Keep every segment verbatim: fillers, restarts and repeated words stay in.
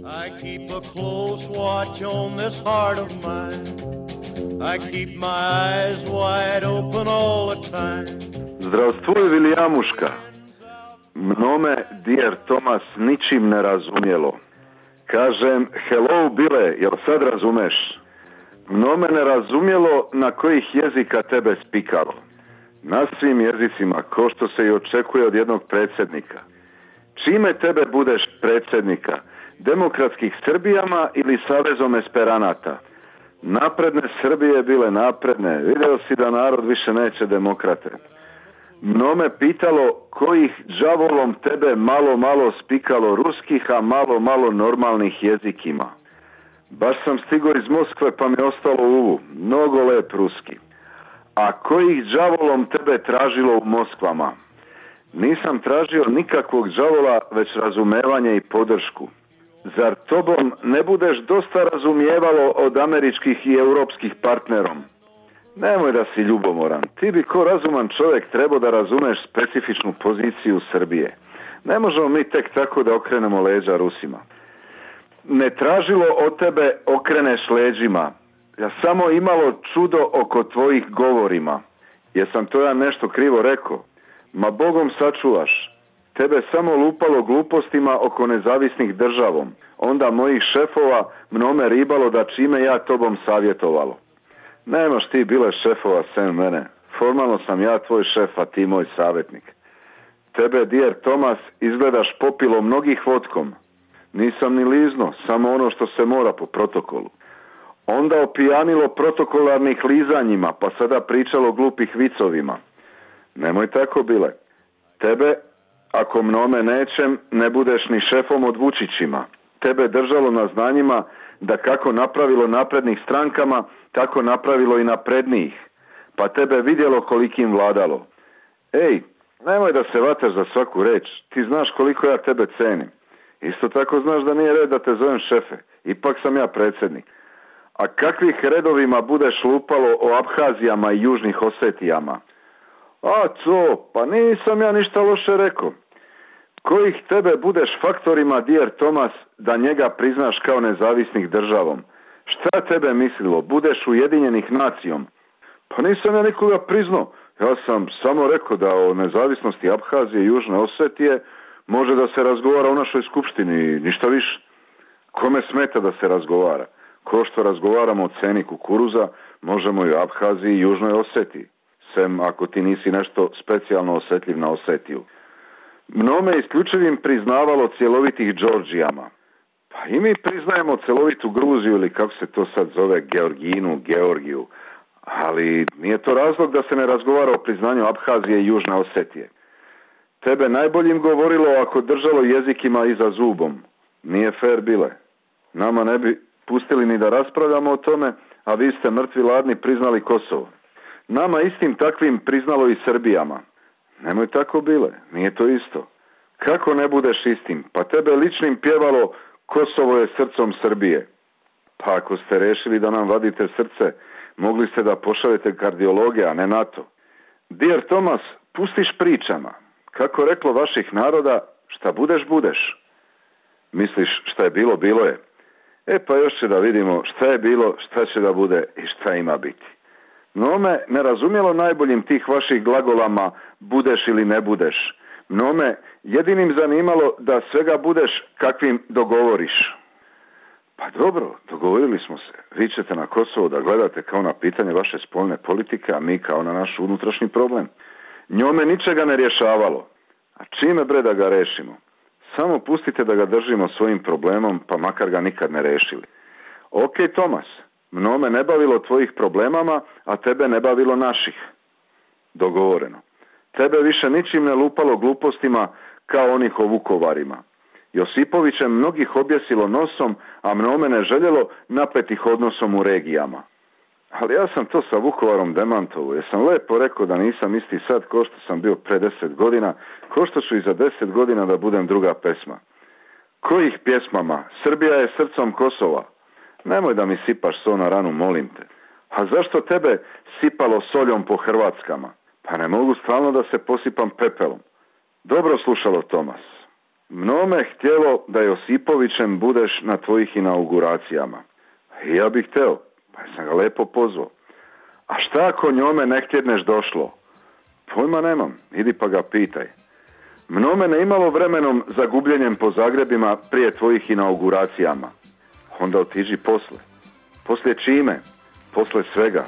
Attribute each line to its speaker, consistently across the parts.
Speaker 1: I keep a close watch on this heart of mine. I keep my eyes wide open all the time.
Speaker 2: Zdravstvoj Viljamuška. Mnome, dear Thomas, ničim ne razumjelo. Kažem, hello Bile, jel sad razumeš? Mnome ne razumjelo na kojih jezika tebe spikalo. Na svim jezicima, ko što se i očekuje od jednog predsjednika. Čime tebe budeš predsjednika? Demokratskih Srbijama ili Savezom Esperanata? Napredne Srbije bile napredne. Vidio si da narod više neće demokrate. Mnome pitalo kojih đavolom tebe malo malo spikalo ruskih, a malo malo normalnih jezikima. Baš sam stigao iz Moskve pa mi je ostalo uvu. Mnogo lep ruski. A kojih đavolom tebe tražilo u Moskvama? Nisam tražio nikakvog đavola, već razumevanje i podršku. Zar tobom ne budeš dosta razumijevalo od američkih i europskih partnerom? Nemoj da si ljubomoran. Ti bi ko razuman čovjek trebao da razumeš specifičnu poziciju Srbije. Ne možemo mi tek tako da okrenemo leđa Rusima. Ne tražilo od tebe okreneš leđima. Ja samo imalo čudo oko tvojih govorima. Jesam to ja nešto krivo rekao? Ma Bogom sačuvaš. Tebe samo lupalo glupostima oko nezavisnih državom. Onda mojih šefova mnome ribalo da čime ja tobom savjetovalo. Nemaš ti bile šefova sem mene. Formalno sam ja tvoj šef, a ti moj savjetnik. Tebe, dear Thomas, izgledaš popilo mnogih vodkom. Nisam ni lizno, samo ono što se mora po protokolu. Onda opijanilo protokolarnih lizanjima, pa sada pričalo glupih vicovima. Nemoj tako bile. Tebe, ako mnome nećem, ne budeš ni šefom od Vučićima. Tebe držalo na znanjima da kako napravilo naprednih strankama, tako napravilo i naprednijih. Pa tebe vidjelo kolikim vladalo. Ej, nemoj da se vataš za svaku reč. Ti znaš koliko ja tebe cenim. Isto tako znaš da nije red da te zovem šefe. Ipak sam ja predsjednik. A kakvih redovima budeš lupalo o Abhazijama i Južnih Osetijama? A co, pa nisam ja ništa loše rekao. Kojih tebe budeš faktorima, dear Thomas, da njega priznaš kao nezavisnih državom? Šta tebe mislilo? Budeš ujedinjenih nacijom? Pa nisam ja nikoga priznao. Ja sam samo rekao da o nezavisnosti Abhazije i Južne Osetije može da se razgovara u našoj skupštini, ništa više. Kome smeta da se razgovara? Ko što razgovaramo o ceni kukuruza, možemo i o Abhaziji i Južnoj Osetiji. Sem ako ti nisi nešto specijalno osjetljiv na Osetiju. Mnome isključivim priznavalo cjelovitih Đorđijama. Pa i mi priznajemo cjelovitu Gruziju ili kako se to sad zove, Georginu, Georgiju. Ali nije to razlog da se ne razgovara o priznanju Abhazije i Južne Osetije. Tebe najboljim govorilo ako držalo jezikima iza zubom. Nije fair bile. Nama ne bi pustili ni da raspravljamo o tome, a vi ste mrtvi ladni priznali Kosovo. Nama istim takvim priznalo i Srbijama. Nemoj tako bile, nije to isto. Kako ne budeš istim? Pa tebe ličnim pjevalo Kosovo je srcom Srbije. Pa ako ste rešili da nam vadite srce, mogli ste da pošaljete kardiologe, a ne NATO. Dear Thomas, pustiš pričama. Kako reklo vaših naroda, šta budeš, budeš. Misliš šta je bilo, bilo je. E pa još će da vidimo šta je bilo, šta će da bude i šta ima biti. Mnome ne razumjelo najboljim tih vaših glagolama budeš ili ne budeš. Mnome jedinim zanimalo da svega budeš kakvim dogovoriš. Pa dobro, dogovorili smo se. Vi ćete na Kosovo da gledate kao na pitanje vaše spoljne politike, a mi kao na naš unutrašnji problem. Njome ničega ne rješavalo. A čime bre da ga rešimo? Samo pustite da ga držimo svojim problemom, pa makar ga nikad ne rešili. Ok, Thomas, mnome ne bavilo tvojih problemama, a tebe ne bavilo naših. Dogovoreno. Tebe više ničim ne lupalo glupostima kao onih o Vukovarima. Josipovićem mnogih objesilo nosom, a mnome ne željelo napetih odnosom u regijama. Ali ja sam to sa Vukovarom demantovo, jer sam lepo rekao da nisam isti sad ko što sam bio pre deset godina, ko što ću i za deset godina da budem druga pesma. Kojih pjesmama? Srbija je srcom Kosova. Nemoj da mi sipaš so na ranu, molim te. A zašto tebe sipalo soljom po Hrvatskama? Pa ne mogu stalno da se posipam pepelom. Dobro slušalo, Tomas. Mnome htjelo da Josipovićem budeš na tvojih inauguracijama. Ja bih hteo, pa sam ga lepo pozvao. A šta ako njome ne htjedneš došlo? Pojma nemam, idi pa ga pitaj. Mnome ne imalo vremenom za gubljenjem po Zagrebima prije tvojih inauguracijama. Onda otiđi posle. Poslije čime? Posle svega,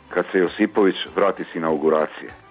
Speaker 2: kad se Josipović vrati s inauguracije.